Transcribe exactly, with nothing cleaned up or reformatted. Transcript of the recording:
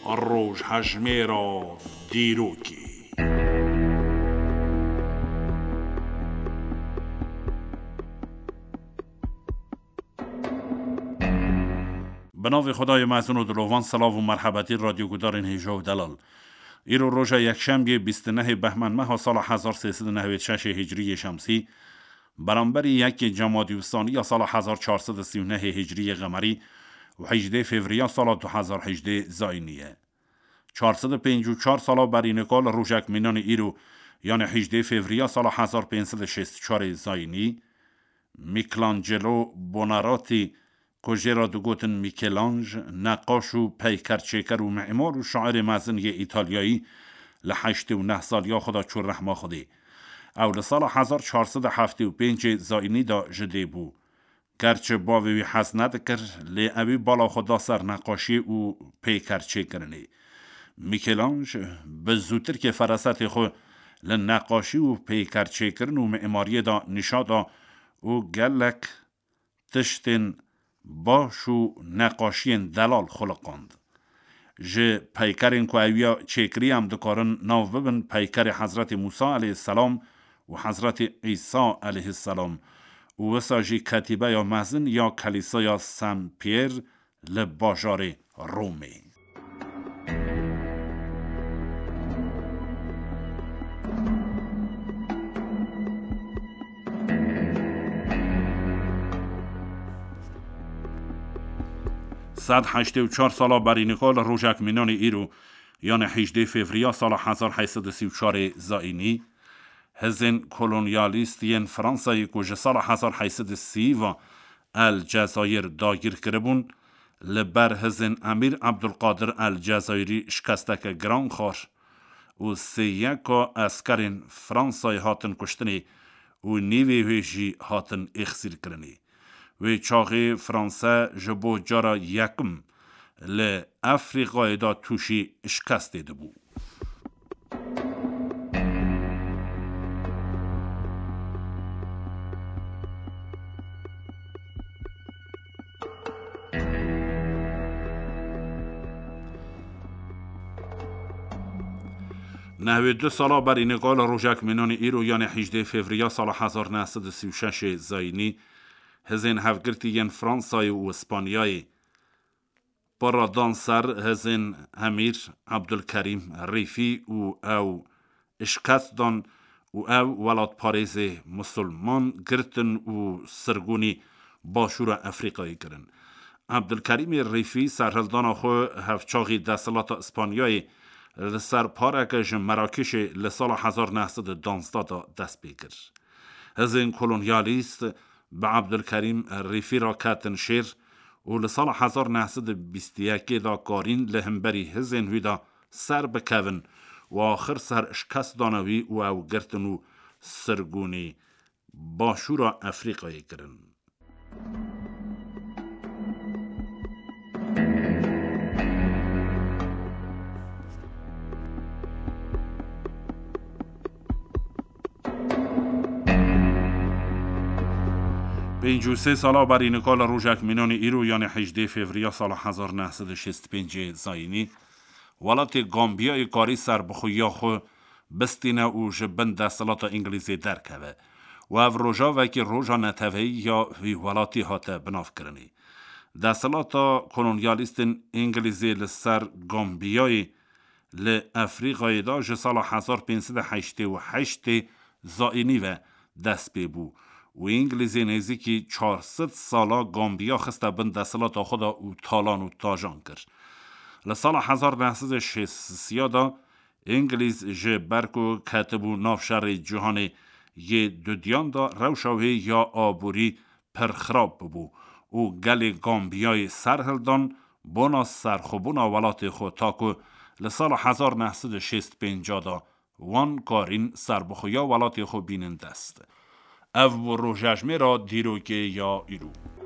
Rojhejmêra dîrokê. Bi navê Xwedayê mezin û dilovan, silav û merhebetî radyogudarên hêja û delal. Îro roja yekşemgê bîst û nehê behmên meha sala hezar sê sed û newêd şeşê hicriyê şemsî, beramberî yekê Cemadî Ûsaniya sala hezar çar sed û sî û nehê hicriyê qemerî û hejdê fevriya sala du hezar hejdê zayînî ye. Çar sed û pêncî û çar sala berî nika li rojek mînanê îro, yanê hejdê fevriya sala hezar pênc sed û şêst û çarê zayînî, Michelangelo Buonarroti, ku jê re digotin Mîkelanj, neqaş û peykerçêker û mîmar û şairê mezin yê Îtalyayî, li heştê û neh saliya xwe de çû rehma Xwedê. Ew li sala hezar çar sed û heftê û pêncê zayînî de ji dê bû. Gerçi bavê wî hez nedikir, lê ewî bala xwe da ser neqaşiyê û peykerçêkirinê. Mîkelanj bi zûtirkê ferasetê xwe li neqaşî û peykerçêkirin û mîmariyê de nîşa da û gelek tiştên baş û neqaşiyên delal xuliqand. Ji peykerên ku ew ya çêkirî em dikarin nav bibin peykerê Hezretî Mûsa eleyhîsselam û Hezretî Îsa eleyhîsselam û wisa jî ketîbeya mezin ya Kelîsaya Saint Pierre li bajarê Romê. Sed heştê û çar sala berî nika li rojek mînanê îro, yanê hejdê fevriya sala hezar heyt sed û sî û çarê zayînî, hizên kolonyalîst yên Fransayê ku ji sala hezar heyt sed û sî ve El Cezayir dagîr kiribûn, li ber hizên Emîr Ebdulqadir El Cezayirî şikesteke giran xwar û sêyeka eskerên Fransayê hatin kuştinê û nîvê wê jî hatin êxsîrkirinê. Wê çaxê Franse ji bo cara yekim li Efrîqayê de tûşî şikestê dibû. Nehwê du sala berî nika li rojek mînanê îro, yanê hejdê fevriya sala hezar neh sed û sî û şeşê zayînî, hizên hevgirtî yên Fransayê û Îspanyayê para dan ser hizên Emîr Ebdulkerîm Rîfî û ew şikest dan û ew welatparêzê misilman girtin û sirgûnî Başûra Efrîqayê kirin. Ebdulkerîmê Rîfî serhildana xwe hevçaxî desthilata Îspanyayê li ser pareke ji Merakîşê li sala hezar neh sed û duwazdeh de dest pê kir. Hizên kolonyalîst bi Ebdulkerîm Rîfî re ketin şêr û li sala hezar neh sed û bîst û yekê de karîn li hemberî hizên wî de ser bikevin û axir ser şikest dane wî û ew girtin û sirgûnî Başûra Efrîqayê kirin. Pêncî û sê sala berî nika li rojek mînanê îro, yanê hejdê fevriya sala hezar neh sed û şêst û pêncê zayînî, welatê Gambiyayê karî serbixweyiya xwe bistîne û ji bin desthilata Îngilîzê derkeve û ev rojavekî roja neteweyî ya vî welatî hate binavkirinê. Desthilata kolonyalîstên Îngilîzê li ser Gambiyayê li Efrîqayê de ji sala hezar pênc sed û heştê û heştê zayînî ve dest pê bû û Îngilîzê nêzîkî çar sed sala Gambiya xiste bin desthilata xwe de û talan û tajan kir. Li sala hezar neh sed û şêst û sê de Îngilîz ji ber ku ketibû nav şerê cîhanê yê dudiyan de, rewşa wê ya aborî pir xirab bûbû û gelê Gambiyayê serhildan bona serxwebûna welatê xwe, ta ku li sala hezar neh sed û şêst û pênc de wan karîn serbixweya welatê xwe bînin dest. Ev bû rojejmêra dîrokê ya îro.